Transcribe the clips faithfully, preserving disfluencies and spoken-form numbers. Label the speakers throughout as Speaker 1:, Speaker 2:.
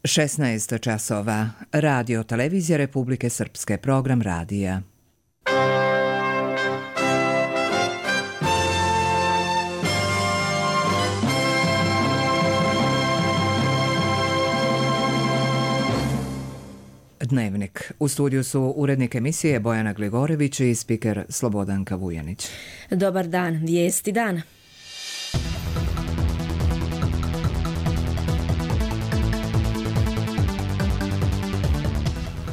Speaker 1: šesnaest časova. Radio Televizija Republike Srpske, program radija. Dnevnik. U studiju su urednik emisije Bojana Gligorević i spiker Slobodanka Vujanić.
Speaker 2: Dobar dan, vijesti dana.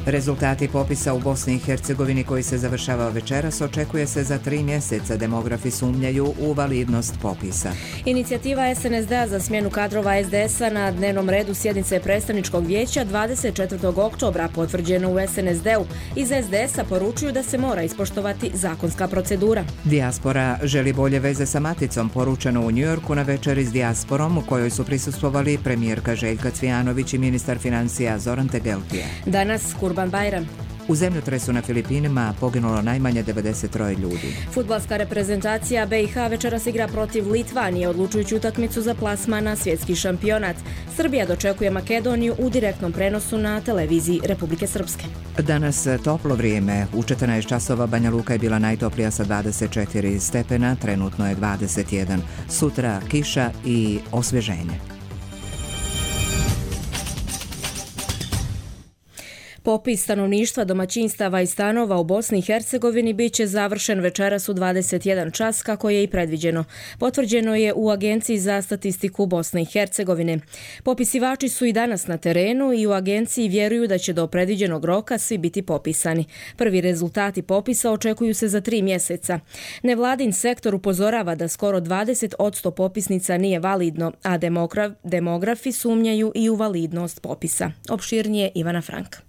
Speaker 1: Rezultati popisa u Bosni i Hercegovini koji se završava večeras očekuje se za tri mjeseca. Demografi sumnjaju u validnost popisa.
Speaker 2: Inicijativa es en es de a za smjenu kadrova es de es a na dnevnom redu sjednice predstavničkog vijeća dvadeset četvrtog oktobra potvrđeno u es en es de u. Iz es de es a poručuju da se mora ispoštovati zakonska procedura.
Speaker 1: Dijaspora želi bolje veze sa maticom, poručeno u Njujorku na večeri s dijasporom u kojoj su prisustvovali premijerka Željka Cvijanović i ministar financija Zoran Tegeltije.
Speaker 2: Danas Kurban Bajram.
Speaker 1: U zemljotresu na Filipinima poginulo najmanje devedeset troje ljudi.
Speaker 2: Fudbalska reprezentacija be i ha večeras igra protiv Litvanije, odlučujući utakmicu za plasman na svjetski šampionat. Srbija dočekuje Makedoniju u direktnom prenosu na televiziji Republike Srpske.
Speaker 1: Danas toplo vrijeme. U četrnaest časova Banja Luka je bila najtoplija sa dvadeset četiri stepena, trenutno je dvadeset jedan. Sutra kiša i osvježenje.
Speaker 2: Popis stanovništva, domaćinstava i stanova u Bosni i Hercegovini bit će završen večeras u dvadeset jedan čas kako je i predviđeno. Potvrđeno je u Agenciji za statistiku Bosne i Hercegovine. Popisivači su i danas na terenu i u agenciji vjeruju da će do predviđenog roka svi biti popisani. Prvi rezultati popisa očekuju se za tri mjeseca. Nevladin sektor upozorava da skoro dvadeset posto popisnica nije validno, a demograf, demografi sumnjaju i u validnost popisa. Opširnije Ivana Franka.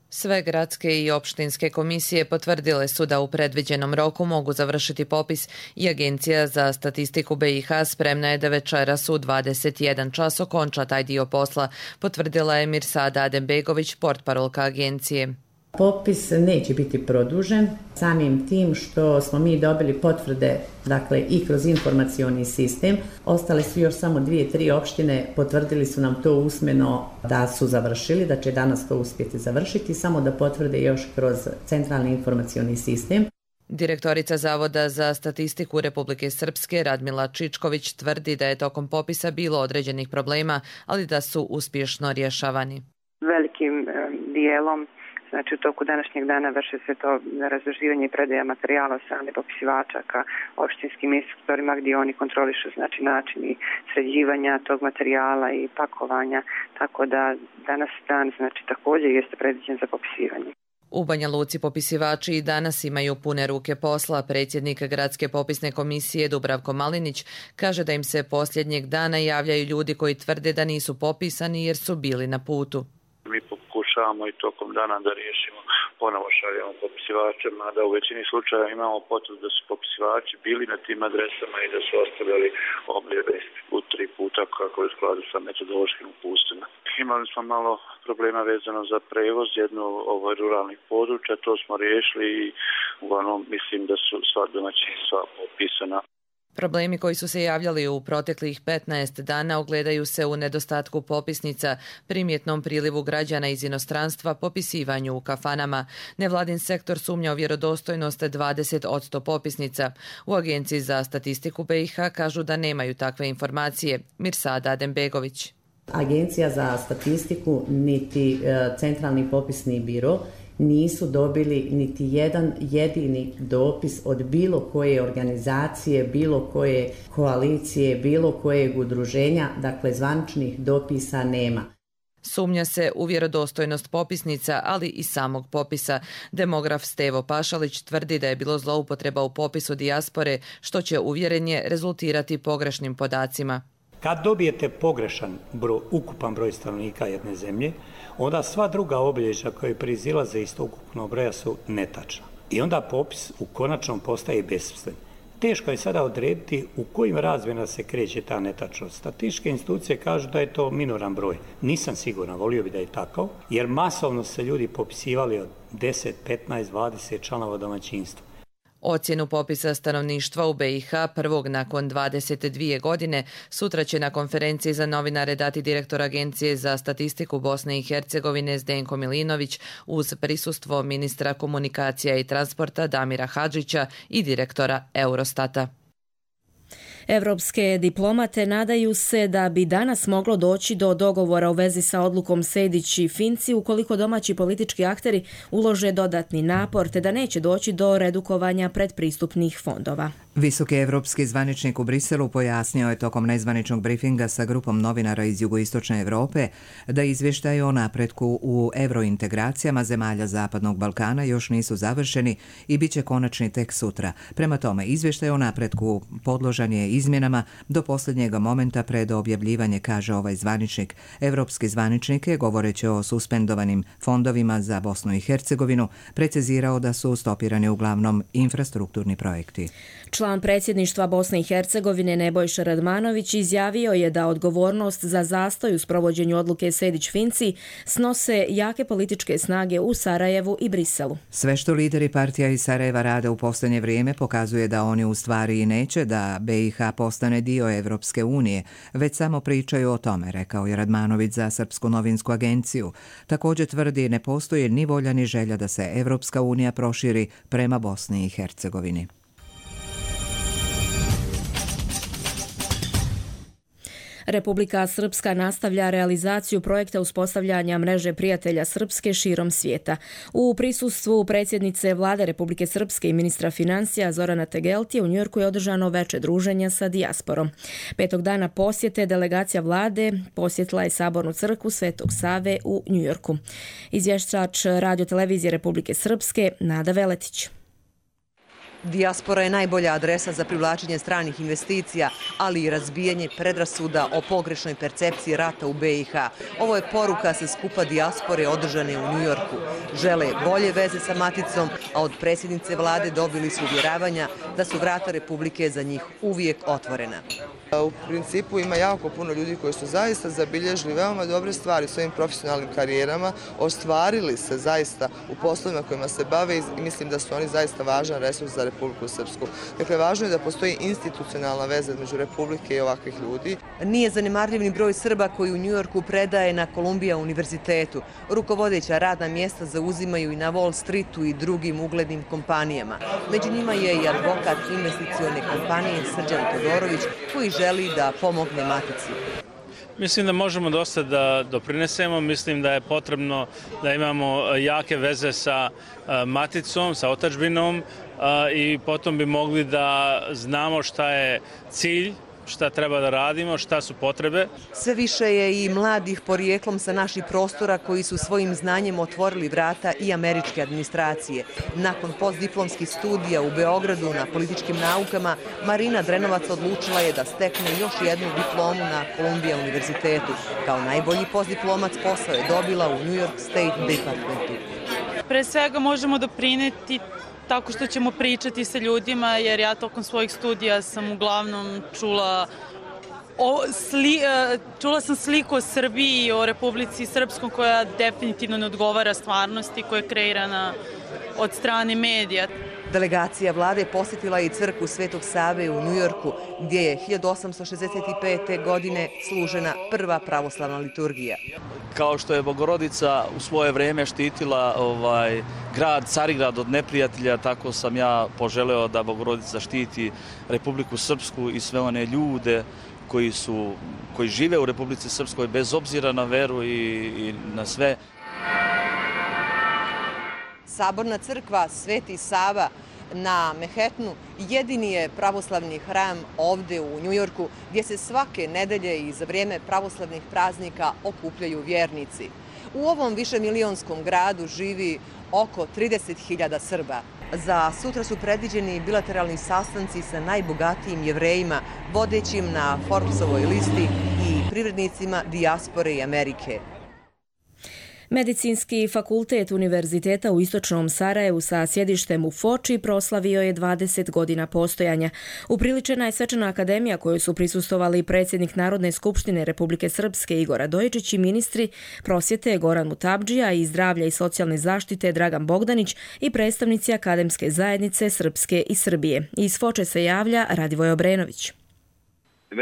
Speaker 3: Sve gradske i opštinske komisije potvrdile su da u predviđenom roku mogu završiti popis i Agencija za statistiku be i ha spremna je da večeras u dvadeset jedan čas okonča taj dio posla, potvrdila je Mirsada Adembegović, portparolka agencije.
Speaker 4: Popis neće biti produžen samim tim što smo mi dobili potvrde, dakle i kroz informacioni sistem. Ostale su još samo dvije, tri opštine, potvrdili su nam to usmeno da su završili, da će danas to uspjeti završiti, samo da potvrde još kroz centralni informacioni sistem.
Speaker 3: Direktorica Zavoda za statistiku Republike Srpske Radmila Čičković tvrdi da je tokom popisa bilo određenih problema, ali da su uspješno rješavani.
Speaker 5: Velikim dijelom, znači u toku današnjeg dana vrše se to razduživanje i predaja materijala od strane popisivača ka opštinskim inspektorima gdje oni kontrolišu znači način i sređivanja tog materijala i pakovanja, tako da danas dan znači također jeste predviđen za popisivanje.
Speaker 3: U Banja Luci popisivači i danas imaju pune ruke posla. Predsjednik Gradske popisne komisije Dubravko Malinić kaže da im se posljednjeg dana javljaju ljudi koji tvrde da nisu popisani jer su bili na putu.
Speaker 6: Mi pokušavamo i tokom dana da riješimo, ponovo šaljemo popisivače, mada u većini slučaja imamo potvrdu da su popisivači bili na tim adresama i da su ostavljali objave u tri puta kako je u skladu sa metodološkim uputstvima. Imali smo malo problema vezano za prevoz jedno ovo ruralnih područja, to smo riješili i uglavnom mislim da su sva domaćinstva popisana.
Speaker 3: Problemi koji su se javljali u proteklih petnaest dana ogledaju se u nedostatku popisnica, primjetnom prilivu građana iz inostranstva, popisivanju u kafanama. Nevladin sektor sumnja u vjerodostojnost dvadeset posto popisnica. U Agenciji za statistiku be i ha kažu da nemaju takve informacije. Mirsada Adembegović.
Speaker 4: Agencija za statistiku niti Centralni popisni biro nisu dobili niti jedan jedini dopis od bilo koje organizacije, bilo koje koalicije, bilo kojeg udruženja, dakle zvaničnih dopisa nema.
Speaker 3: Sumnja se u vjerodostojnost popisnica, ali i samog popisa. Demograf Stevo Pašalić tvrdi da je bilo zloupotreba u popisu dijaspore, što će uvjerenje rezultirati pogrešnim podacima.
Speaker 7: Kad dobijete pogrešan broj, ukupan broj stanovnika jedne zemlje, onda sva druga obilježja koje proizilaze iz tog ukupnog broja su netačna. I onda popis u konačnom postaje besmislen. Teško je sada odrediti u kojim razmjerima se kreće ta netačnost. Statističke institucije kažu da je to minoran broj. Nisam siguran, volio bi da je tako, jer masovno se ljudi popisivali od deset, petnaest, dvadeset članova domaćinstva.
Speaker 3: Ocjenu popisa stanovništva u B i H prvog nakon dvadeset dvije godine sutra će na konferenciji za novinare dati direktor Agencije za statistiku Bosne i Hercegovine Zdenko Milinović uz prisustvo ministra komunikacija i transporta Damira Hadžića i direktora Eurostata.
Speaker 2: Evropske diplomate nadaju se da bi danas moglo doći do dogovora u vezi sa odlukom Sejdić i Finci ukoliko domaći politički akteri ulože dodatni napor te da neće doći do redukovanja predpristupnih fondova.
Speaker 1: Visoki evropski zvaničnik u Briselu pojasnio je tokom nezvaničnog brifinga sa grupom novinara iz jugoistočne Evrope da izvještaje o napretku u evrointegracijama zemalja Zapadnog Balkana još nisu završeni i bit će konačni tek sutra. Prema tome, izvještaj o napretku podložan je izmjenama do posljednjeg momenta pred objavljivanje, kaže ovaj zvaničnik. Evropski zvaničnik je, govoreći o suspendovanim fondovima za Bosnu i Hercegovinu, precizirao da su stopirani uglavnom infrastrukturni projekti.
Speaker 2: Član predsjedništva Bosne i Hercegovine Nebojša Radmanović izjavio je da odgovornost za zastoj u sprovođenju odluke Sejdić-Finci snose jake političke snage u Sarajevu i Briselu.
Speaker 1: Sve što lideri partija iz Sarajeva rade u posljednje vrijeme pokazuje da oni u stvari i neće da B i H postane dio Evropske unije, već samo pričaju o tome, rekao je Radmanović za Srpsku novinsku agenciju. Također tvrdi ne postoji ni volja ni želja da se Evropska unija proširi prema Bosni i Hercegovini.
Speaker 2: Republika Srpska nastavlja realizaciju projekta uspostavljanja mreže prijatelja Srpske širom svijeta. U prisustvu predsjednice Vlade Republike Srpske i ministra financija Zorana Tegeltije u Njujorku je održano veče druženja sa dijasporom. Petog dana posjete delegacija Vlade posjetila je Sabornu crkvu Svetog Save u Njujorku. Izvještač Radio-televizije Republike Srpske Nada Veletić.
Speaker 8: Dijaspora je najbolja adresa za privlačenje stranih investicija, ali i razbijanje predrasuda o pogrešnoj percepciji rata u B i H. Ovo je poruka sa skupa dijaspore održane u Njujorku. Žele bolje veze sa maticom, a od predsjednice vlade dobili su uvjeravanja da su vrata Republike za njih uvijek otvorena.
Speaker 9: U principu ima jako puno ljudi koji su zaista zabilježili veoma dobre stvari u svojim profesionalnim karijerama, ostvarili se zaista u poslovima kojima se bave i mislim da su oni zaista važan resurs za Republiku Srpsku. Dakle, važno je da postoji institucionalna veza između Republike i ovakvih ljudi.
Speaker 8: Nije zanemarljiv ni broj Srba koji u Njujorku predaje na Columbia univerzitetu. Rukovodeća radna mjesta zauzimaju i na Wall Streetu i drugim uglednim kompanijama. Među njima je i advokat investicione kompanije Srđan Todorović koji želi da pomogne matici.
Speaker 10: Mislim da možemo dosta da doprinesemo, mislim da je potrebno da imamo jake veze sa maticom, sa otadžbinom i potom bi mogli da znamo šta je cilj, šta treba da radimo, šta su potrebe.
Speaker 8: Sve više je i mladih porijeklom sa naših prostora koji su svojim znanjem otvorili vrata i američke administracije. Nakon postdiplomskih studija u Beogradu na političkim naukama, Marina Drenovac odlučila je da stekne još jednu diplomu na Columbia univerzitetu. Kao najbolji postdiplomac posao je dobila u New York State Departmentu.
Speaker 11: Pre svega možemo doprineti tako što ćemo pričati sa ljudima, jer ja tokom svojih studija sam uglavnom čula, o, sli, čula sam sliku o Srbiji i o Republici Srpskom koja definitivno ne odgovara stvarnosti koja je kreirana od strane medija.
Speaker 8: Delegacija vlade posjetila i crkvu Svetog Save u Njujorku, gdje je hiljadu osamsto šezdeset pete. godine služena prva pravoslavna liturgija.
Speaker 12: Kao što je Bogorodica u svoje vrijeme štitila ovaj, grad Carigrad od neprijatelja, tako sam ja poželeo da Bogorodica štiti Republiku Srpsku i sve one ljude koji, su, koji žive u Republici Srpskoj bez obzira na veru i, i na sve.
Speaker 8: Saborna crkva Sveti Sava na Manhattanu jedini je pravoslavni hram ovdje u Njujorku gdje se svake nedelje i za vrijeme pravoslavnih praznika okupljaju vjernici. U ovom višemilijonskom gradu živi oko trideset hiljada Srba. Za sutra su predviđeni bilateralni sastanci sa najbogatijim Jevrejima, vodećim na Forbesovoj listi i privrednicima dijaspore i Amerike.
Speaker 2: Medicinski fakultet Univerziteta u Istočnom Sarajevu sa sjedištem u Foči proslavio je dvadeset godina postojanja. Upriličena je svečana akademija kojoj su prisustvovali predsjednik Narodne skupštine Republike Srpske Igor Radojičić i ministri prosvjete Goran Mutabdžija i zdravlja i socijalne zaštite Dragan Bogdanić i predstavnici akademske zajednice Srpske i Srbije. Iz Foče se javlja Radivoj Obrenović.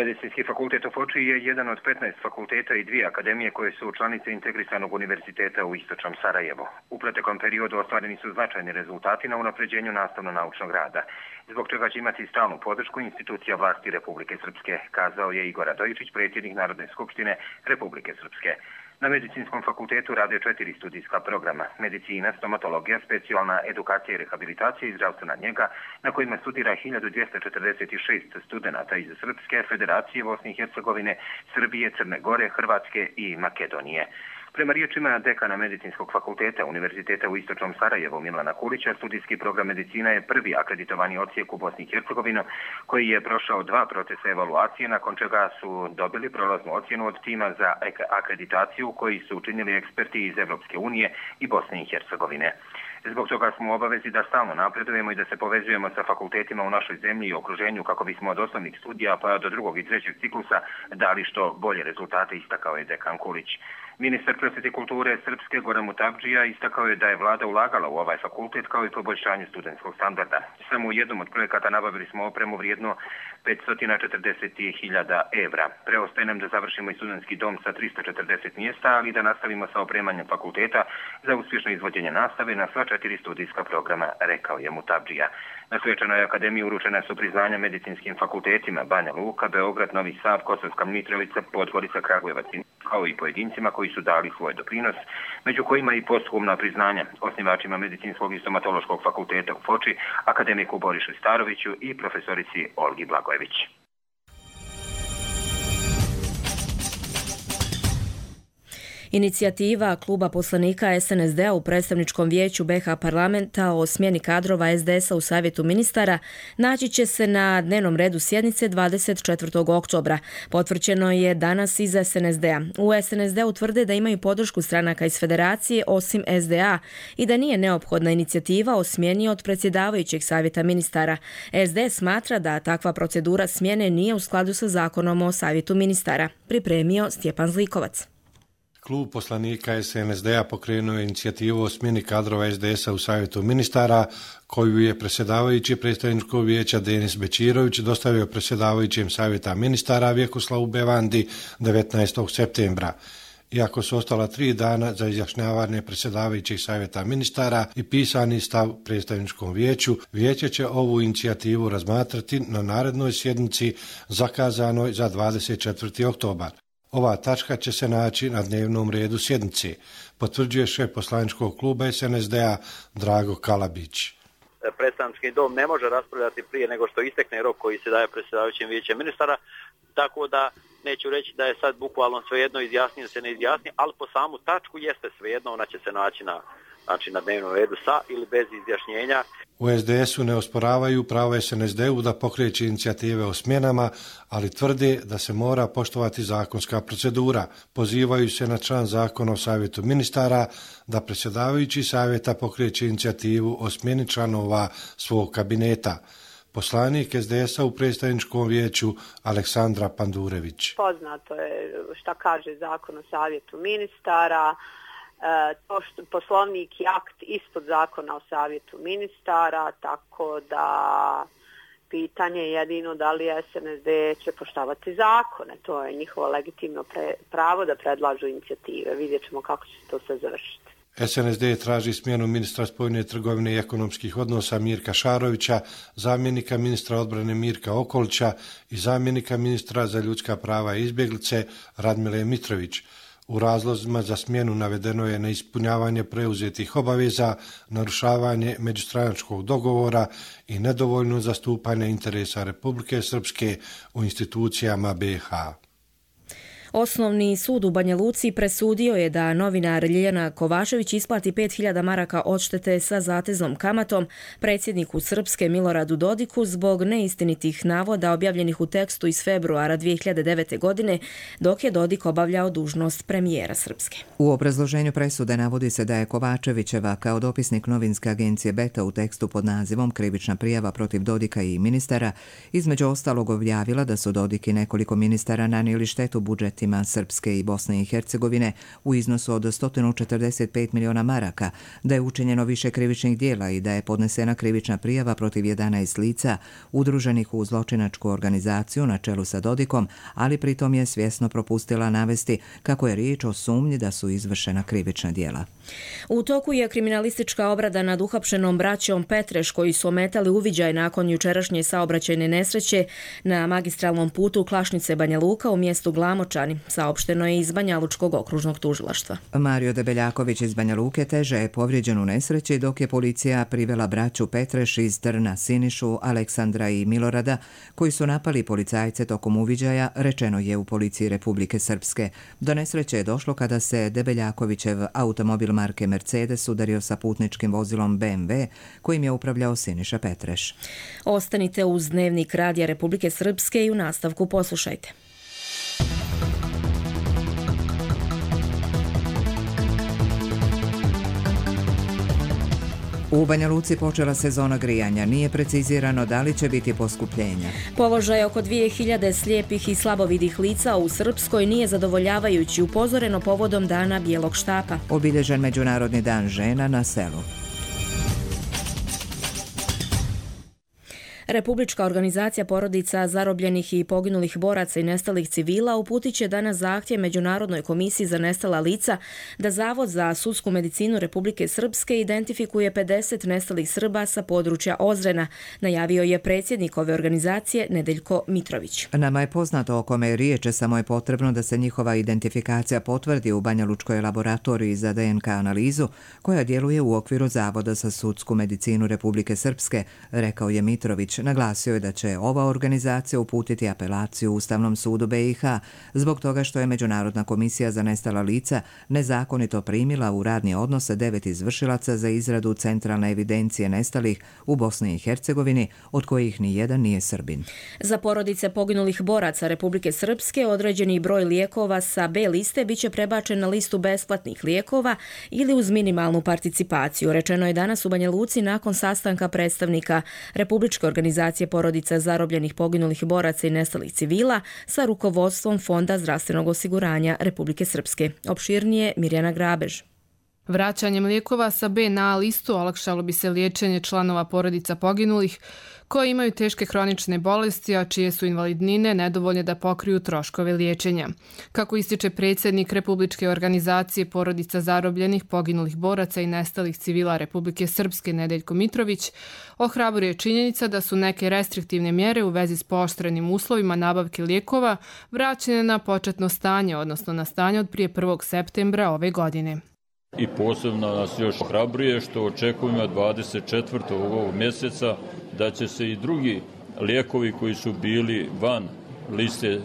Speaker 13: Medicinski fakultet u Foči je jedan od petnaest fakulteta i dvije akademije koje su članice integrisanog univerziteta u Istočnom Sarajevu. U proteklom periodu ostvareni su značajni rezultati na unapređenju nastavno-naučnog rada, zbog čega će imati stalnu podršku institucija vlasti Republike Srpske, kazao je Igor Radojičić, predsjednik Narodne skupštine Republike Srpske. Na Medicinskom fakultetu rade četiri studijska programa: medicina, stomatologija, specijalna edukacija i rehabilitacija i zdravstvena njega, na kojima studira hiljadu dvjesto četrdeset šest studenata iz Srpske, Federacije Bosne i Hercegovine, Srbije, Crne Gore, Hrvatske i Makedonije. Prema riječima dekana Medicinskog fakulteta Univerziteta u Istočnom Sarajevu Milana Kulića, studijski program medicina je prvi akreditovani odsjek u Bosni i Hercegovini koji je prošao dva procesa evaluacije, nakon čega su dobili prolaznu ocjenu od tima za akreditaciju koji su učinili eksperti iz Evropske unije i Bosne i Hercegovine. Zbog toga smo u obavezi da stalno napredujemo i da se povezujemo sa fakultetima u našoj zemlji i okruženju kako bismo od osnovnih studija pa do drugog i trećeg ciklusa dali što bolje rezultate, istakao je dekan Kulić. Ministar prosvjete i kulture Srpske Goran Mutabdžija istakao je da je vlada ulagala u ovaj fakultet kao i poboljšanje studentskog standarda. Samo u jednom od projekata nabavili smo opremu vrijedno petsto četrdeset hiljada evra. Preostaje nam da završimo i studentski dom sa tristo četrdeset mjesta, ali da nastavimo sa opremanjem fakulteta za uspješno izvođenje nastave na sva četiri studijska programa, rekao je Mutabdžija. Na svečanoj akademiji uručena su priznanja medicinskim fakultetima Banja Luka, Beograd, Novi Sad, Kosovska Mitrovica, Podgorica, Kragujevac, kao i pojedincima koji su dali svoj doprinos, među kojima i posthumna priznanja osnivačima Medicinskog i stomatološkog fakulteta u Foči, akademiku Borišu Staroviću i profesorici Olgi Blagojević.
Speaker 2: Inicijativa Kluba poslanika es en es de-a u predstavničkom vijeću be ha parlamenta o smjeni kadrova es de es-a u savjetu ministara naći će se na dnevnom redu sjednice dvadeset četvrtog oktobra. Potvrđeno je danas iz es en es de-a. U es en es de-u tvrde da imaju podršku stranaka iz federacije osim es de a i da nije neophodna inicijativa o smjeni od predsjedavajućeg savjeta ministara. es de es smatra da takva procedura smjene nije u skladu sa zakonom o savjetu ministara. Pripremio Stjepan Zlikovac.
Speaker 14: Klub poslanika es en es de-a pokrenuo je inicijativu o smjeni kadrova es de es-a u savjetu ministara, koju je predsjedavajući predstavničkog vijeća Denis Bečirović dostavio predsjedavajućem savjeta ministara Vjekoslavu Bevandi devetnaestog septembra. Iako su ostala tri dana za izjašnjavanje predsjedavajućeg savjeta ministara i pisani stav predstavničkom vijeću, vijeće će ovu inicijativu razmatrati na narednoj sjednici zakazanoj za dvadeset četvrti oktobar. Ova tačka će se naći na dnevnom redu sjednici, potvrđuje šef poslaničkog kluba es en es de-a Drago Kalabić.
Speaker 15: Predstavnički dom ne može raspravljati prije nego što istekne rok koji se daje predsjedavajućem vijećem ministara, tako da neću reći da je sad bukvalno svejedno izjasnio se ne izjasni, ali po samu tačku jeste svejedno, ona će se naći na, znači na dnevnom redu sa ili bez izjašnjenja.
Speaker 14: U es de es-u ne osporavaju pravo es en es de-u da pokreće inicijative o smjenama, ali tvrde da se mora poštovati zakonska procedura. Pozivaju se na član zakona o savjetu ministara da predsjedavajući savjeta pokreće inicijativu o smjeni članova svog kabineta. Poslanik es de es-a u predstavničkom vijeću Aleksandra Pandurević.
Speaker 16: Poznato je šta kaže zakon o savjetu ministara. To što poslovnik je akt ispod zakona o savjetu ministara, tako da pitanje je jedino da li es en es de će poštovati zakone. To je njihovo legitimno pre, pravo da predlažu inicijative. Vidjet ćemo kako će se to sve završiti.
Speaker 14: es en es de traži smjenu ministra spoljne trgovine i ekonomskih odnosa Mirka Šarovića, zamjenika ministra odbrane Mirka Okolića i zamjenika ministra za ljudska prava i izbjeglice Radmile Mitrović. U razlozima za smjenu navedeno je neispunjavanje preuzetih obaveza, narušavanje međustranačkog dogovora i nedovoljno zastupanje interesa Republike Srpske u institucijama be ha.
Speaker 2: Osnovni sud u Banja Luci presudio je da novinar Ljiljana Kovačević isplati pet hiljada maraka odštete sa zateznom kamatom predsjedniku Srpske Miloradu Dodiku zbog neistinitih navoda objavljenih u tekstu iz februara dvije hiljade devete. godine, dok je Dodik obavljao dužnost premijera Srpske.
Speaker 1: U obrazloženju presude navodi se da je Kovačevićeva kao dopisnik novinske agencije Beta u tekstu pod nazivom Krivična prijava protiv Dodika i ministara između ostalog objavila da su Dodik i nekoliko ministara nanijeli štetu budžetima Srpske i Bosne i Hercegovine u iznosu od sto četrdeset pet miliona maraka, da je učinjeno više krivičnih dijela i da je podnesena krivična prijava protiv jedanaest lica udruženih u zločinačku organizaciju na čelu sa Dodikom, ali pritom je svjesno propustila navesti kako je riječ o sumnji da su izvršena krivična djela.
Speaker 2: U toku je kriminalistička obrada nad uhapšenom braćom Petreš koji su ometali uviđaj nakon jučerašnje saobraćajne nesreće na magistralnom putu Klašnice Banja Luka u mjestu Glamočani, saopšteno je iz Banja Lučkog okružnog tužilaštva.
Speaker 1: Mario Debeljaković iz Banja Luke teže je povrijeđen u nesreći dok je policija privela braću Petreš iz Trna, Sinišu, Aleksandra i Milorada koji su napali policajce tokom uviđaja, rečeno je u policiji Republike Srpske. Do nesreće je došlo kada se Debeljakovićev automobil marke Mercedes udario sa putničkim vozilom be em ve kojim je upravljao Siniša Petreš.
Speaker 2: Ostanite uz Dnevnik Radija Republike Srpske i u nastavku poslušajte.
Speaker 1: U Banja Luci počela sezona grijanja. Nije precizirano da li će biti poskupljenja.
Speaker 2: Položaj oko dvije hiljade slijepih i slabovidih lica u Srpskoj nije zadovoljavajući, upozoreno povodom Dana bijelog štapa.
Speaker 1: Obilježen Međunarodni dan žena na selu.
Speaker 2: Republička organizacija porodica zarobljenih i poginulih boraca i nestalih civila uputit će danas zahtjev Međunarodnoj komisiji za nestala lica da Zavod za sudsku medicinu Republike Srpske identifikuje pedeset nestalih Srba sa područja Ozrena, najavio je predsjednik ove organizacije Nedeljko Mitrović.
Speaker 1: Nama je poznato o kome je riječ, samo je potrebno da se njihova identifikacija potvrdi u Banja Lučkoj laboratoriji za de en ka analizu koja djeluje u okviru Zavoda za sudsku medicinu Republike Srpske, rekao je Mitrović. Naglasio je da će ova organizacija uputiti apelaciju Ustavnom sudu be i ha zbog toga što je Međunarodna komisija za nestala lica nezakonito primila u radni odnos devet izvršilaca za izradu centralne evidencije nestalih u Bosni i Hercegovini, od kojih ni jedan nije Srbin.
Speaker 2: Za porodice poginulih boraca Republike Srpske određeni broj lijekova sa B liste biće prebačen na listu besplatnih lijekova ili uz minimalnu participaciju, rečeno je danas u Banja Luci nakon sastanka predstavnika Republičke organizacije organizacije porodica zarobljenih, poginulih boraca i nestalih civila sa rukovodstvom Fonda zdravstvenog osiguranja Republike Srpske. Opširnije Mirjana Grabež.
Speaker 17: Vraćanjem lijekova sa B na A listu olakšalo bi se liječenje članova porodica poginulih koji imaju teške hronične bolesti, a čije su invalidnine nedovoljne da pokriju troškove liječenja. Kako ističe predsjednik Republičke organizacije porodica zarobljenih, poginulih boraca i nestalih civila Republike Srpske Nedeljko Mitrović, ohrabruje činjenica da su neke restriktivne mjere u vezi s pooštrenim uslovima nabavke lijekova vraćene na početno stanje, odnosno na stanje od prije prvog septembra ove godine.
Speaker 18: I posebno nas još ohrabruje što očekujemo dvadeset četvrtog ovog mjeseca da će se i drugi lijekovi koji su bili van liste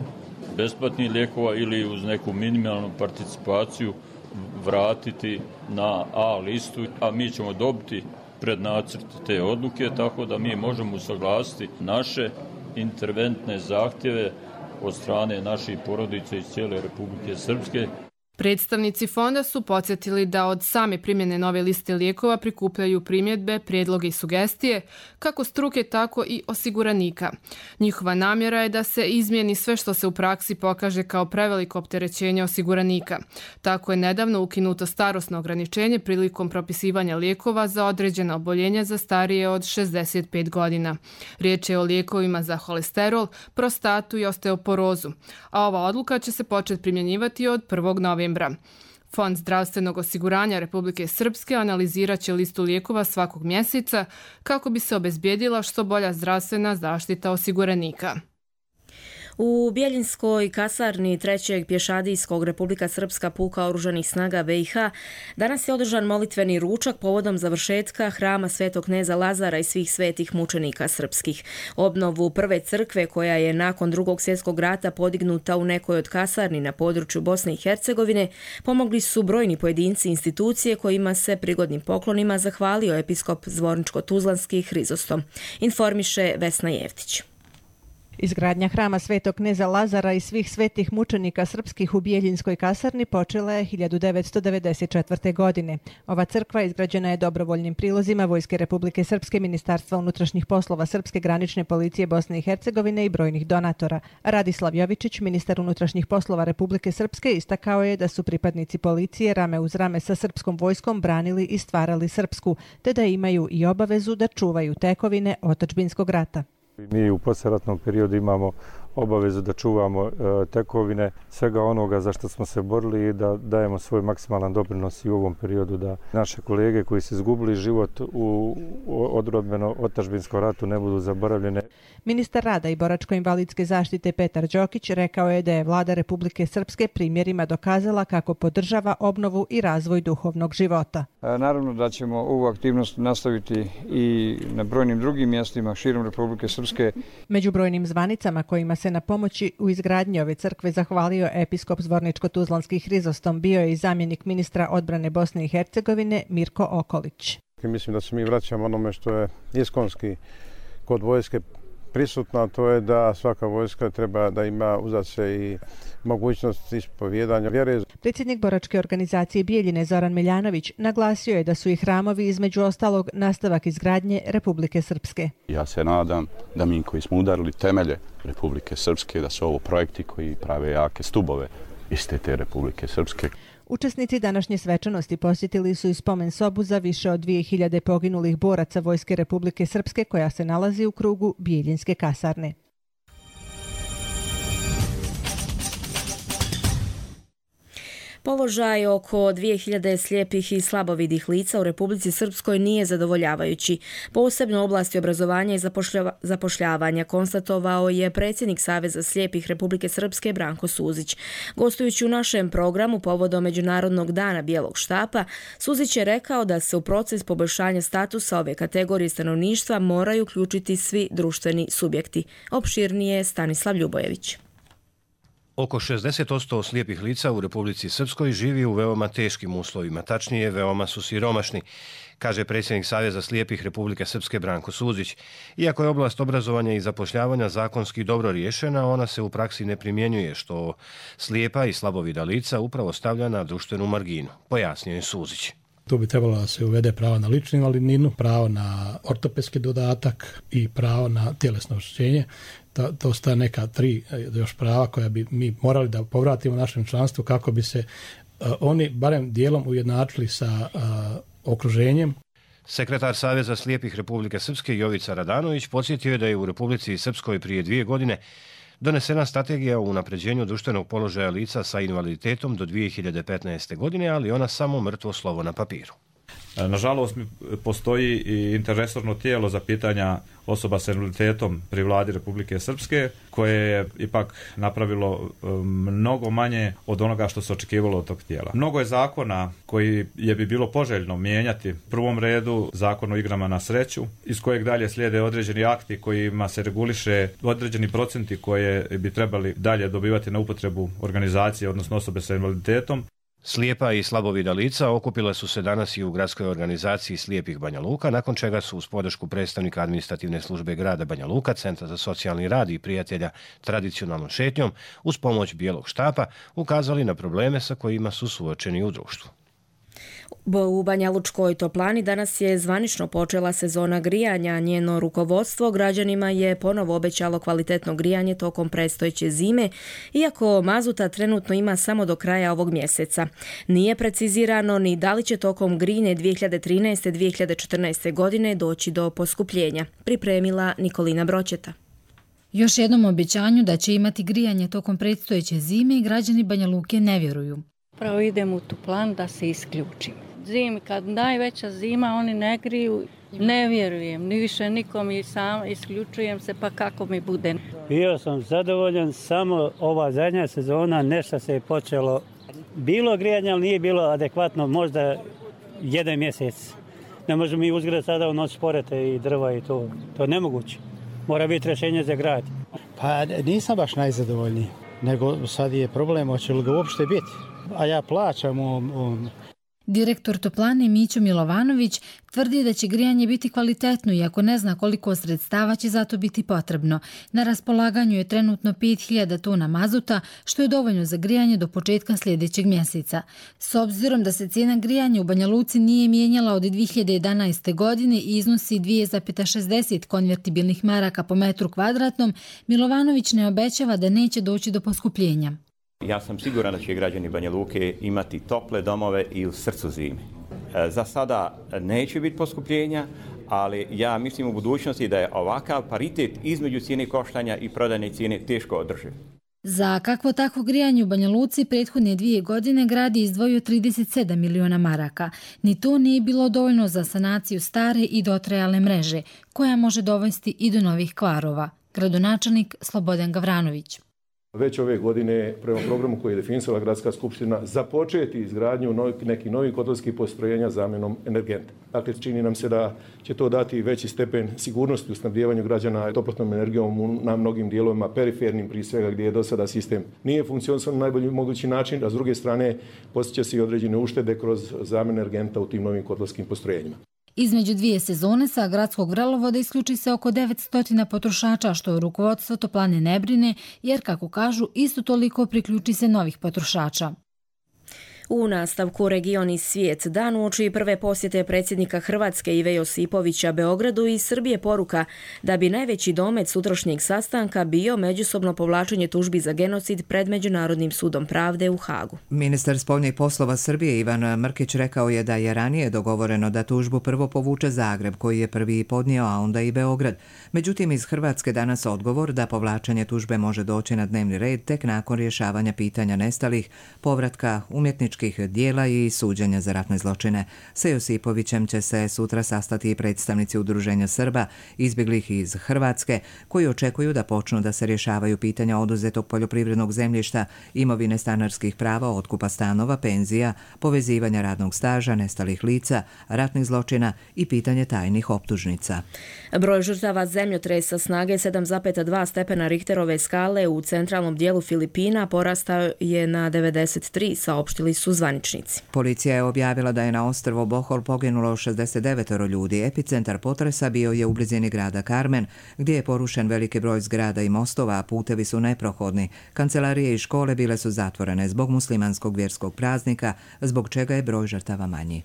Speaker 18: besplatnih lijekova ili uz neku minimalnu participaciju vratiti na A listu, a mi ćemo dobiti prednacrt te odluke, tako da mi možemo usaglasiti naše interventne zahtjeve od strane naših porodica iz cijele Republike Srpske.
Speaker 17: Predstavnici fonda su podsjetili da od same primjene nove liste lijekova prikupljaju primjedbe, prijedloge i sugestije, kako struke, tako i osiguranika. Njihova namjera je da se izmijeni sve što se u praksi pokaže kao preveliko opterećenje osiguranika. Tako je nedavno ukinuto starosno ograničenje prilikom propisivanja lijekova za određena oboljenja za starije od šezdeset pet godina. Riječ je o lijekovima za holesterol, prostatu i osteoporozu, a ova odluka će se početi primjenjivati od prvog novembra. Fond zdravstvenog osiguranja Republike Srpske analizirat će listu lijekova svakog mjeseca kako bi se obezbijedila što bolja zdravstvena zaštita osiguranika.
Speaker 2: U Bjeljinskoj kasarni trećeg pješadijskog Republika Srpska puka oružanih snaga B i H danas je održan molitveni ručak povodom završetka hrama Svetog kneza Lazara i svih svetih mučenika srpskih. Obnovu prve crkve koja je nakon drugog svjetskog rata podignuta u nekoj od kasarni na području Bosne i Hercegovine pomogli su brojni pojedinci i institucije kojima se prigodnim poklonima zahvalio episkop Zvorničko-Tuzlanski Hrizostom. Informiše Vesna Jevtić.
Speaker 19: Izgradnja hrama Svetog kneza Lazara i svih svetih mučenika srpskih u Bjeljinskoj kasarni počela je hiljadu devetsto devedeset četvrte. godine. Ova crkva izgrađena je dobrovoljnim prilozima Vojske Republike Srpske, Ministarstva unutrašnjih poslova Srpske granične policije Bosne i Hercegovine i brojnih donatora. Radislav Jovičić, ministar unutrašnjih poslova Republike Srpske, istakao je da su pripadnici policije rame uz rame sa srpskom vojskom branili i stvarali Srpsku, te da imaju i obavezu da čuvaju tekovine otadžbinskog rata.
Speaker 20: Mi u poslijeratnom periodu imamo obavezu da čuvamo tekovine svega onoga za što smo se borili i da dajemo svoj maksimalan doprinos i u ovom periodu da naše kolege koji su izgubili život u odrodbeno otadžbinskom ratu ne budu zaboravljene.
Speaker 19: Ministar rada i boračko-invalidske zaštite Petar Đokić rekao je da je vlada Republike Srpske primjerima dokazala kako podržava obnovu i razvoj duhovnog života.
Speaker 21: Naravno da ćemo ovu aktivnost nastaviti i na brojnim drugim mjestima širom Republike Srpske.
Speaker 19: Među brojnim zvanicama kojima se na pomoći u izgradnji ove crkve zahvalio episkop Zvorničko-Tuzlanski Hrizostom bio je i zamjenik ministra odbrane Bosne i Hercegovine Mirko Okolić.
Speaker 22: Mislim da se mi vraćamo onome što je iskonski kod vojske prisutno, to je da svaka vojska treba da ima uzat se i mogućnost ispovjedanja vjere.
Speaker 19: Predsjednik boračke organizacije Bijeljine Zoran Miljanović naglasio je da su i hramovi između ostalog nastavak izgradnje Republike Srpske.
Speaker 23: Ja se nadam da mi koji smo udarili temelje Republike Srpske, da su ovo projekti koji prave jake stubove iste te Republike Srpske.
Speaker 19: Učesnici današnje svečanosti posjetili su i spomen sobu za više od dvije hiljade poginulih boraca Vojske Republike Srpske koja se nalazi u krugu Bijeljinske kasarne.
Speaker 2: Položaj oko dvije hiljade slijepih i slabovidih lica u Republici Srpskoj nije zadovoljavajući. Posebno u oblasti obrazovanja i zapošljavanja konstatovao je predsjednik Saveza slijepih Republike Srpske Branko Suzić. Gostujući u našem programu povodom Međunarodnog dana bijelog štapa, Suzić je rekao da se u proces poboljšanja statusa ove kategorije stanovništva moraju uključiti svi društveni subjekti. Opširnije Stanislav Ljubojević.
Speaker 24: Oko šezdeset posto slijepih lica u Republici Srpskoj živi u veoma teškim uslovima, tačnije veoma su siromašni, kaže predsjednik Saveza slijepih Republike Srpske Branko Suzić. Iako je oblast obrazovanja i zapošljavanja zakonski dobro riješena, ona se u praksi ne primjenjuje, što slijepa i slabovida lica upravo stavlja na društvenu marginu, pojasnio je Suzić.
Speaker 25: Tu bi trebalo da se uvede pravo na ličnu invalidninu, pravo na ortopedski dodatak i pravo na tjelesno oštećenje. To, to sta neka tri još prava koja bi mi morali da povratimo našem članstvu kako bi se uh, oni barem dijelom ujednačili sa uh, okruženjem.
Speaker 24: Sekretar Saveza slijepih Republike Srpske Jovica Radanović podsjetio je da je u Republici Srpskoj prije dvije godine donesena strategija o unapređenju društvenog položaja lica sa invaliditetom do dvije hiljade petnaeste. godine, ali ona samo mrtvo slovo na papiru.
Speaker 26: Nažalost, postoji i interresorno tijelo za pitanja osoba s invaliditetom pri vladi Republike Srpske, koje je ipak napravilo mnogo manje od onoga što se očekivalo od tog tijela. Mnogo je zakona koji je bi bilo poželjno mijenjati. U prvom redu zakon o igrama na sreću, iz kojeg dalje slijede određeni akti kojima se reguliše određeni procenti koje bi trebali dalje dobivati na upotrebu organizacije, odnosno osobe sa invaliditetom.
Speaker 24: Slijepa i slabovida lica okupila su se danas i u gradskoj organizaciji Slijepih Banja Luka, nakon čega su uz podršku predstavnika administrativne službe grada Banja Luka, Centra za socijalni rad i prijatelja tradicionalnom šetnjom, uz pomoć bijelog štapa, ukazali na probleme sa kojima su suočeni u društvu.
Speaker 2: U Banja Lučkoj toplani danas je zvanično počela sezona grijanja. Njeno rukovodstvo građanima je ponovo obećalo kvalitetno grijanje tokom predstojeće zime, iako mazuta trenutno ima samo do kraja ovog mjeseca. Nije precizirano ni da li će tokom grijne dvije hiljade trinaeste. dvije hiljade četrnaeste. godine doći do poskupljenja. Pripremila Nikolina Bročeta.
Speaker 27: Još jednom obećanju da će imati grijanje tokom predstojeće zime građani Banja Luke ne vjeruju.
Speaker 28: Pravo idem u tu plan da se isključim. Zimi, kad najveća zima, oni ne griju
Speaker 3: Ne vjerujem, ni više nikom i sam isključujem se pa kako mi bude.
Speaker 4: Bio sam zadovoljan, samo ova zadnja sezona nešto se je počelo. Bilo grijanje, ali nije bilo adekvatno, možda jedan mjesec. Ne možemo mi uzgledati sada u noć sporete i drva i to. To je nemoguće. Mora biti rješenje za grad.
Speaker 5: Pa nisam baš najzadovoljniji, nego sad je problem hoće li ga uopšte biti. A ja plaćam u... u...
Speaker 27: Direktor toplane Mićo Milovanović tvrdi da će grijanje biti kvalitetno iako ne zna koliko sredstava će za to biti potrebno. Na raspolaganju je trenutno pet hiljada tona mazuta, što je dovoljno za grijanje do početka sljedećeg mjeseca. S obzirom da se cijena grijanja u Banja Luci nije mijenjala od dvije hiljade jedanaeste. godine i iznosi dvije zarez šezdeset konvertibilnih maraka po metru kvadratnom, Milovanović ne obećava da neće doći do poskupljenja.
Speaker 6: Ja sam siguran da će građani Banja Luke imati tople domove i u srcu zime. Za sada neće biti poskupljenja, ali ja mislim u budućnosti da je ovakav paritet između cijene koštanja i prodajne cijene teško održiv.
Speaker 27: Za kakvo takvo grijanje u Banja Luci prethodne dvije godine grad je izdvojio trideset sedam miliona maraka. Ni to nije bilo dovoljno za sanaciju stare i dotrajale mreže, koja može dovesti i do novih kvarova. Gradonačelnik Slobodan Gavranović.
Speaker 7: Već ove godine prema programu koji je definisala Gradska skupština započeti izgradnju nekih novih kotelskih postrojenja zamjenom energenta. Dakle, čini nam se da će to dati veći stepen sigurnosti u snabdijevanju građana toplotnom energijom na mnogim dijelovima perifernim, prije svega gdje je do sada sistem nije funkcionisao na najbolji mogući način, a s druge strane postiće se i određene uštede kroz zamjenu energenta u tim novim kotelskim postrojenjima.
Speaker 27: Između dvije sezone sa gradskog vrelovoda isključi se oko devetsto potrošača, što rukovodstvo toplane ne brine, jer, kako kažu, isto toliko priključi se novih potrošača. U nastavku Region i svijet dan uoči prve posjete predsjednika Hrvatske Ive Josipovića Beogradu i Srbije poruka da bi najveći domet sutrašnjeg sastanka bio međusobno povlačenje tužbi za genocid pred Međunarodnim sudom pravde u Hagu.
Speaker 1: Ministar spoljnih poslova Srbije Ivan Mrkić rekao je da je ranije dogovoreno da tužbu prvo povuče Zagreb, koji je prvi podnio, a onda i Beograd. Međutim, iz Hrvatske danas odgovor da povlačenje tužbe može doći na dnevni red tek nakon rješavanja pitanja nestalih, povratka umjetničkih dijela i suđenja za ratne zločine. Sa Josipovićem će se sutra sastati i predstavnici Udruženja Srba izbjeglih iz Hrvatske, koji očekuju da počnu da se rješavaju pitanja oduzetog poljoprivrednog zemljišta, imovine stanarskih prava, otkupa stanova, penzija, povezivanja radnog staža, nestalih lica, ratnih zločina i pitanje tajnih optužnica.
Speaker 2: Broj žrtava zemljotresa snage sedam zarez dva stepena Richterove skale u centralnom dijelu Filipina porastao je na devedeset tri, saopštili su zvaničnici.
Speaker 1: Policija je objavila da je na ostrvo Bohol poginulo šezdeset devet ljudi. Epicentar potresa bio je u blizini grada Carmen, gdje je porušen veliki broj zgrada i mostova, a putevi su neprohodni. Kancelarije i škole bile su zatvorene zbog muslimanskog vjerskog praznika, zbog čega je broj žrtava manji.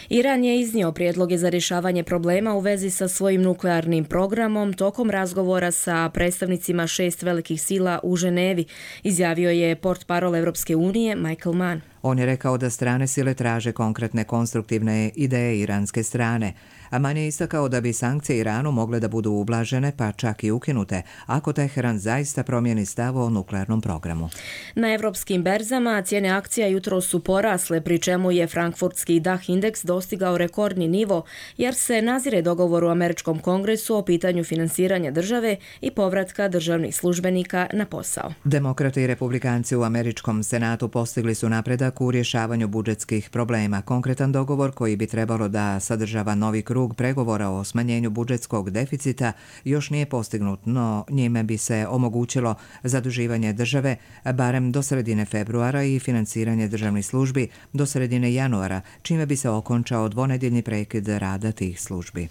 Speaker 2: Iran je iznio prijedloge za rješavanje problema u vezi sa svojim nuklearnim programom tokom razgovora sa predstavnicima šest velikih sila u Ženevi, izjavio je portparol Evropske unije Michael Mann.
Speaker 1: On je rekao da strane sile traže konkretne konstruktivne ideje iranske strane, a Mann je istakao da bi sankcije Iranu mogle da budu ublažene pa čak i ukinute ako Teheran zaista promijeni stav o nuklearnom programu.
Speaker 2: Na evropskim berzama cijene akcija jutro su porasle, pri čemu je frankfurtski DAX indeks dostigao rekordni nivo jer se nazire dogovor u Američkom kongresu o pitanju finansiranja države i povratka državnih službenika na posao.
Speaker 1: Demokrati i republikanci u Američkom senatu postigli su napredak u rješavanju budžetskih problema. Konkretan dogovor koji bi trebalo da sadržava novi krug pregovora o smanjenju budžetskog deficita još nije postignut, no njime bi se omogućilo zaduživanje države barem do sredine februara i finansiranje državnih službi do sredine januara, čime bi se okončao dvonedjeljni prekid rada tih službi.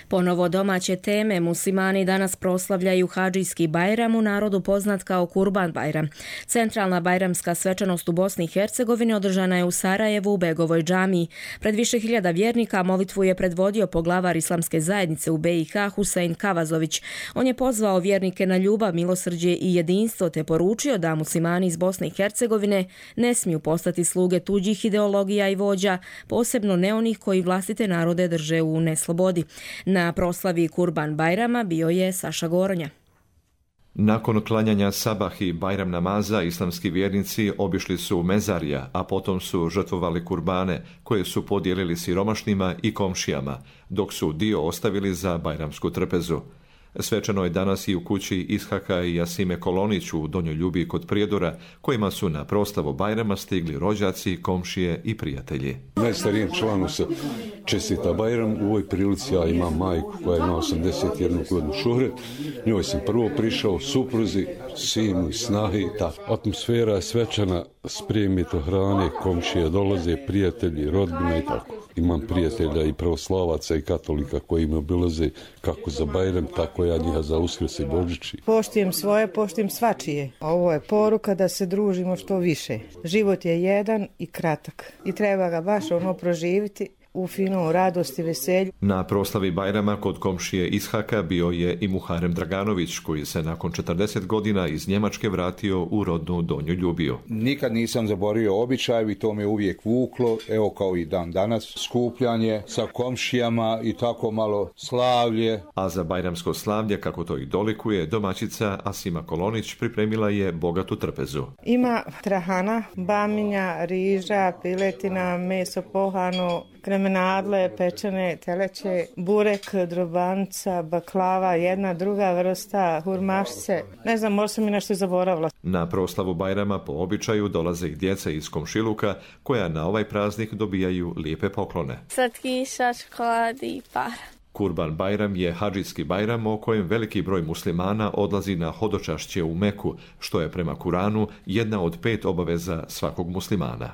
Speaker 2: Ponovo domaće teme. Muslimani danas proslavljaju Hadžijski Bajram, u narodu poznat kao Kurban Bajram. Centralna bajramska svečanost u Bosni i Hercegovini održana je u Sarajevu u Begovoj džamiji. Pred više hiljada vjernika molitvu je predvodio poglavar islamske zajednice u be i ha Husein Kavazović. On je pozvao vjernike na ljubav, milosrđe i jedinstvo te poručio da muslimani iz Bosne i Hercegovine ne smiju postati sluge tuđih ideologija i vođa, posebno ne onih koji vlastite narode drže u neslobodi. Na proslavi Kurban Bajrama bio je Saša Goronja.
Speaker 8: Nakon klanjanja sabah i bajram namaza, islamski vjernici obišli su mezarja, a potom su žrtvovali kurbane, koje su podijelili siromašnima i komšijama, dok su dio ostavili za bajramsku trpezu. Svečano je danas i u kući Ishaka i Jasime Kolonić u Donjoj Ljubi kod Prijedora, kojima su na proslavu Bajrama stigli rođaci, komšije i prijatelji.
Speaker 9: Najstarijem članu se čestita Bajram. U ovoj prilici ja imam majku koja ima osamdeset jednu godinu, Šuhret. Njoj sam prvo prišao, supruzi, sinu i snahi. Ta atmosfera je svečana, spremite hrane, komšije dolaze, prijatelji, rodbina i tako. Imam prijatelja i pravoslavaca i katolika koji me obilaze kako za Bajram, tako ja njiha za Uskrs i Božić.
Speaker 10: Poštujem svoje, poštujem svačije. Ovo je poruka da se družimo što više. Život je jedan i kratak i treba ga baš ono proživiti u finu radosti, veselju.
Speaker 8: Na proslavi Bajrama kod komšije Ishaka bio je i Muharem Draganović, koji se nakon četrdeset godina iz Njemačke vratio u rodnu Donju Ljubiju.
Speaker 11: Nikad nisam zaboravio običaj i to me uvijek vuklo, evo kao i dan danas, skupljanje sa komšijama i tako malo slavlje.
Speaker 8: A za bajramsko slavlje, kako to i dolikuje, domaćica Asima Kolonić pripremila je bogatu trpezu.
Speaker 10: Ima trahana, baminja, riža, piletina, meso pohano, kremenadle, pečene teleće, burek, drobanca, baklava, jedna druga vrsta, hurmašce. Ne znam, možda sam mi nešto zaboravila.
Speaker 8: Na proslavu Bajrama po običaju dolaze i djeca iz komšiluka, koja na ovaj praznik dobijaju lijepe poklone.
Speaker 12: Slatkiša, čokoladi i para.
Speaker 8: Kurban Bajram je hadžijski Bajram o kojem veliki broj muslimana odlazi na hodočašće u Meku, što je prema Kuranu jedna od pet obaveza svakog muslimana.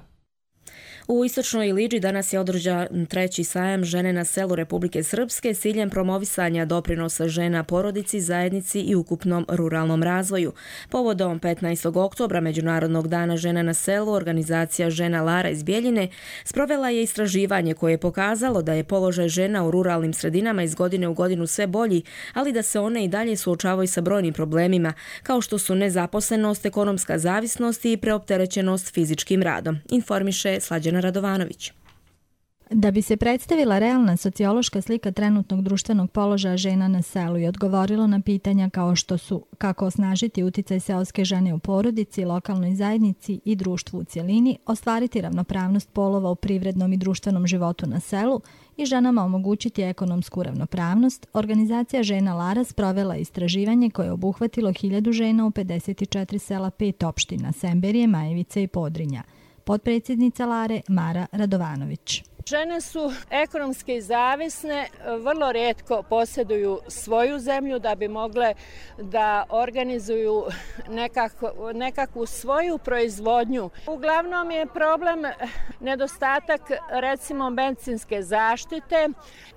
Speaker 2: U Istočnoj Liđi danas je održan treći sajam žene na selu Republike Srpske s ciljem promovisanja doprinosa žena porodici, zajednici i ukupnom ruralnom razvoju. Povodom petnaestog oktobra, Međunarodnog dana žena na selu, organizacija Žena Lara iz Bjeljine sprovela je istraživanje koje je pokazalo da je položaj žena u ruralnim sredinama iz godine u godinu sve bolji, ali da se one i dalje suočavaju sa brojnim problemima, kao što su nezaposlenost, ekonomska zavisnost i preopterećenost fizičkim radom, informiše Slađana Radovanović.
Speaker 13: Da bi se predstavila realna sociološka slika trenutnog društvenog položaja žena na selu i odgovorilo na pitanja kao što su kako osnažiti uticaj seoske žene u porodici, lokalnoj zajednici i društvu u cjelini, ostvariti ravnopravnost polova u privrednom i društvenom životu na selu i ženama omogućiti ekonomsku ravnopravnost, organizacija Žena Lara sprovela istraživanje koje je obuhvatilo hiljadu žena u pedeset četiri sela, pet opština, Semberije, Majevice i Podrinja. Potpredsjednica Lare Mara Radovanović.
Speaker 15: Žene su ekonomski zavisne, vrlo rijetko posjeduju svoju zemlju da bi mogle da organizuju nekakvu, nekakvu svoju proizvodnju. Uglavnom je problem nedostatak recimo medicinske zaštite.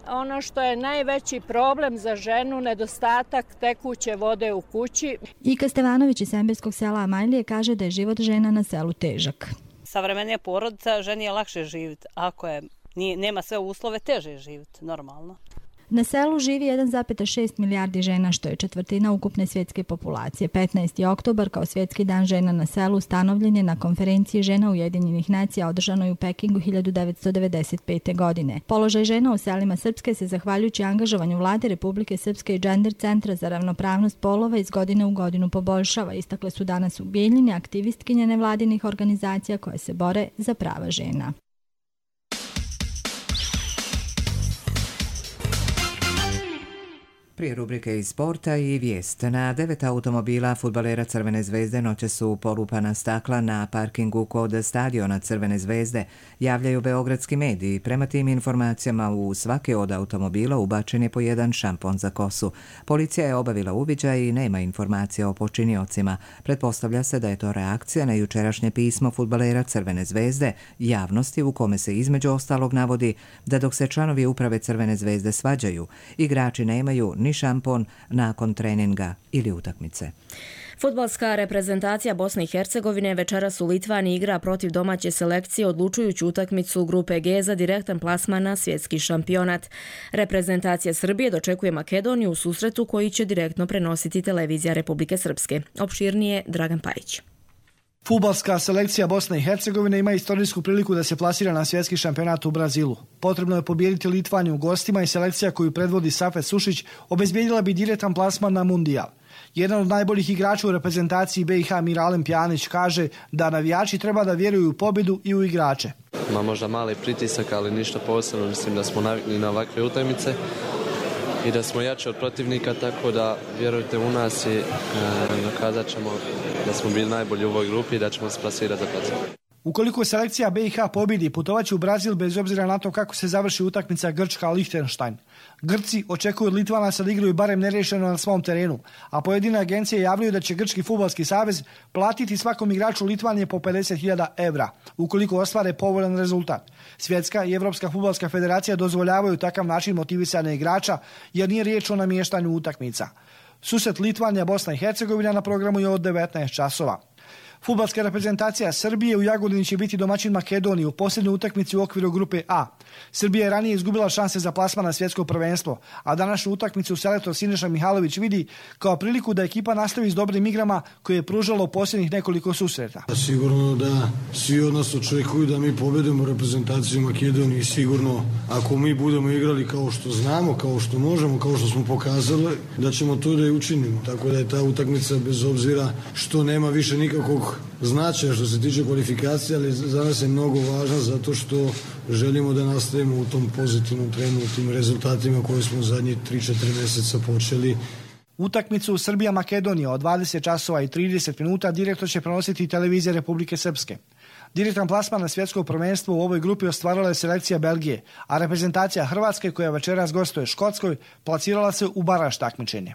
Speaker 15: Ono što je najveći problem za ženu, nedostatak tekuće vode u kući.
Speaker 13: Ika Stevanović iz Semberskog sela Amajlije kaže da je život žena na selu težak.
Speaker 28: Savremenija porodica, ženi je lakše živjeti. Ako je, nije, nema sve uslove, teže je živjeti, normalno.
Speaker 13: Na selu živi jedan zarez šest milijardi žena, što je četvrtina ukupne svjetske populacije. petnaesti oktobar kao svjetski dan žena na selu ustanovljen je na konferenciji žena Ujedinjenih nacija održanoj u Pekingu hiljadu devetsto devedeset pete. godine. Položaj žena u selima Srpske se zahvaljujući angažovanju Vlade Republike Srpske i Gender centra za ravnopravnost polova iz godine u godinu poboljšava, istakle su danas u Bijeljini aktivistkinje nevladinih organizacija koje se bore za prava žena.
Speaker 1: Prije rubrike iz sporta i vijest. Na devet automobila fudbalera Crvene zvezde noće su polupana stakla na parkingu kod stadiona Crvene zvezde, javljaju beogradski mediji. Prema tim informacijama u svaki od automobila ubačen je po jedan šampon za kosu. Policija je obavila uviđaj i nema informacija o počiniocima. Pretpostavlja se da je to reakcija na jučerašnje pismo fudbalera Crvene zvezde javnosti u kome se između ostalog navodi da dok se članovi uprave Crvene zvezde svađaju, igrači nemaju ni šampon nakon treninga ili utakmice.
Speaker 2: Fudbalska reprezentacija Bosne i Hercegovine večeras u Litvani igra protiv domaće selekcije odlučujuću utakmicu grupe G za direktan plasman na svjetski šampionat. Reprezentacija Srbije dočekuje Makedoniju u susretu koji će direktno prenositi televizija Republike Srpske. Opširnije Dragan Pajić.
Speaker 29: Fudbalska selekcija Bosne i Hercegovine ima istorijsku priliku da se plasira na svjetski šampionat u Brazilu. Potrebno je pobijediti Litvaniju u gostima i selekcija koju predvodi Safet Sušić obezbijedila bi direktan plasman na mundijal. Jedan od najboljih igrača u reprezentaciji B i H Miralem Pjanić kaže da navijači treba da vjeruju u pobjedu i u igrače.
Speaker 14: Ma možda mali pritisak, ali ništa posebno. Mislim da smo navikli na ovakve utakmice i da smo jači od protivnika, tako da vjerujte u nas i e, dokazat ćemo da smo bili najbolji u ovoj grupi i da ćemo se plasirati za plac.
Speaker 29: Ukoliko selekcija B i H pobjedi, putovat će u Brazil bez obzira na to kako se završi utakmica Grčka-Lichtenstein. Grci očekuju od Litvanaca da igraju barem nerješeno na svom terenu, a pojedine agencije javljaju da će Grčki fudbalski savez platiti svakom igraču Litvanije po pedeset hiljada evra, ukoliko ostvare povoljan rezultat. Svjetska i Evropska fudbalska federacija dozvoljavaju takav način motivisanja igrača, jer nije riječ o namještanju utakmica. Susret Litvanija-Bosna i Hercegovina na programu je od devetnaest časova. Fudbalska reprezentacija Srbije u Jagodini će biti domaćin Makedoniji u posljednjoj utakmici u okviru grupe A. Srbija je ranije izgubila šanse za plasman na svjetsko prvenstvo, a današnju utakmicu selektor Siniša Mihajlović vidi kao priliku da ekipa nastavi s dobrim igrama koje je pružalo u posljednjih nekoliko susreta.
Speaker 16: Sigurno da svi od nas očekuju da mi pobedimo reprezentaciju Makedonije i sigurno ako mi budemo igrali kao što znamo, kao što možemo, kao što smo pokazali, da ćemo to da i učinimo. Tako da je ta utakmica bez obzira što nema više nikakvog značaja što se tiče kvalifikacije, ali za nas je mnogo važna zato što želimo da nastavimo u tom pozitivnom trenu, u tim rezultatima koje smo u zadnjih tri četiri mjeseca počeli.
Speaker 29: Utakmicu Srbija-Makedonija od dvadeset časova i trideset minuta direktno će prenositi televizija Republike Srpske. Direktan plasman na svjetsko prvenstvo u ovoj grupi ostvarila je selekcija Belgije, a reprezentacija Hrvatske, koja večeras gostuje Škotskoj, plasirala se u baraž takmičenje.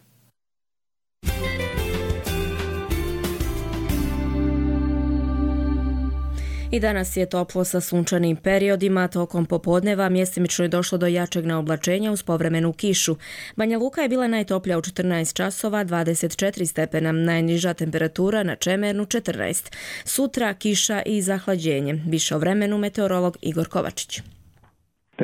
Speaker 2: I danas je toplo sa sunčanim periodima, tokom popodneva mjestimično je došlo do jačeg naoblačenja uz povremenu kišu. Banja Luka je bila najtoplja u četrnaest časova, dvadeset četiri stepena, najniža temperatura na Čemernu četrnaest. Sutra kiša i zahlađenje. Više o vremenu meteorolog Igor Kovačić.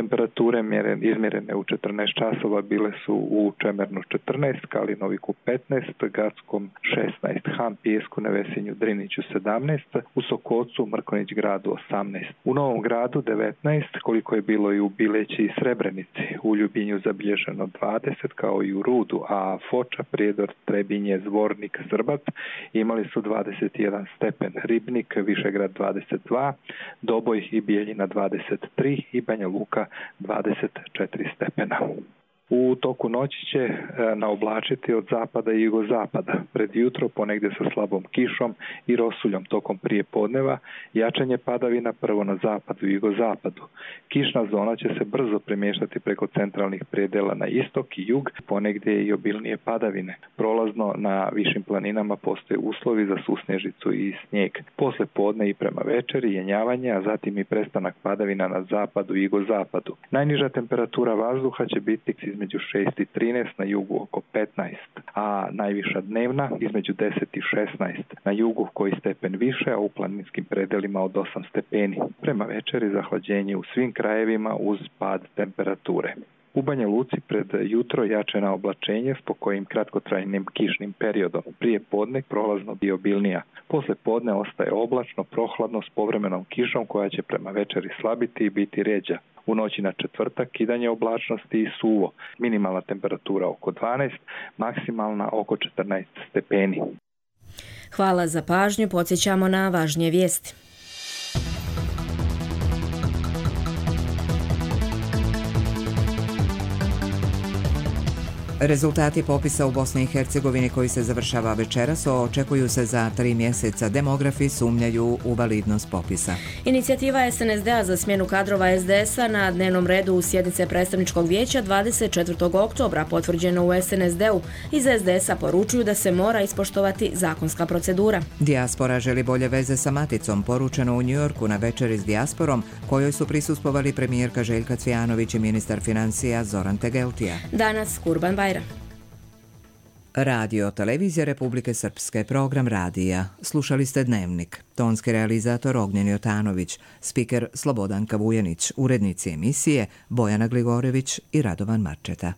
Speaker 17: Temperature izmjerene u četrnaest časova bile su u Čemernu četrnaest, Kalinoviku petnaest, Gackom šesnaest, Han, Pijesku, Nevesinju, Driniću sedamnaest, u Sokocu, Mrkonjić gradu osamnaest. U Novom gradu devetnaest, koliko je bilo i u Bileći i Srebrenici. U Ljubinju zabilježeno dvadeset, kao i u Rudu, a Foča, Prijedor, Trebinje, Zvornik, Zrbac imali su dvadeset jedan stepen. Ribnik, Višegrad dvadeset dva, Doboj i Bijeljina dvadeset tri i Banja Luka dvadeset četiri stepena. U toku noći će naoblačiti od zapada i jugozapada. Pred jutro ponegdje sa slabom kišom i rosuljom tokom prije podneva, jačanje padavina prvo na zapadu i jugozapadu. Kišna zona će se brzo premještati preko centralnih predela na istok i jug, ponegdje i obilnije padavine. Prolazno na višim planinama postoje uslovi za susnežicu i snijeg. Posle podne i prema večeri jenjavanje, a zatim i prestanak padavina na zapadu i jugozapadu. Najniža temperatura vazduha će biti između šest i trinaest, na jugu oko petnaest, a najviša dnevna između deset i šesnaest, na jugu koji stepen više, a u planinskim predelima od osam stepeni. Prema večeri zahlađenje u svim krajevima uz pad temperature. U Banja Luci pred jutro jačena oblačenje s pokojim kratkotrajnim kišnim periodom. Prije podne prolazno i obilnija. Posle podne ostaje oblačno, prohladno s povremenom kišom koja će prema večeri slabiti i biti ređa. U noći na četvrtak kidanje oblačnosti i suvo. Minimalna temperatura oko dvanaest, maksimalna oko četrnaest stepeni.
Speaker 2: Hvala za pažnju, podsjećamo na važnije vijesti.
Speaker 1: Rezultati popisa u Bosni i Hercegovini koji se završava večeras očekuju se za tri mjeseca. Demografi sumnjaju u validnost popisa.
Speaker 2: Inicijativa S N S D-a za smjenu kadrova S D S-a na dnevnom redu u sjednice predstavničkog vijeća dvadeset četvrtog oktobra potvrđeno u S N S D-u. Iz S D S-a poručuju da se mora ispoštovati zakonska procedura.
Speaker 1: Dijaspora želi bolje veze sa maticom, poručeno u Njujorku na večeri s dijasporom, kojoj su prisustvovali premijerka Željka Cvijanović i ministar financija Zoran Tegeltija.
Speaker 2: Danas Kurban Bajram.
Speaker 1: Radio Televizija Republike Srpske, program radija. Slušali ste Dnevnik. Tonski realizator Ognjen Jotanović, spiker Slobodanka Vujanić, urednici emisije Bojana Gligorević i Radovan Marčeta.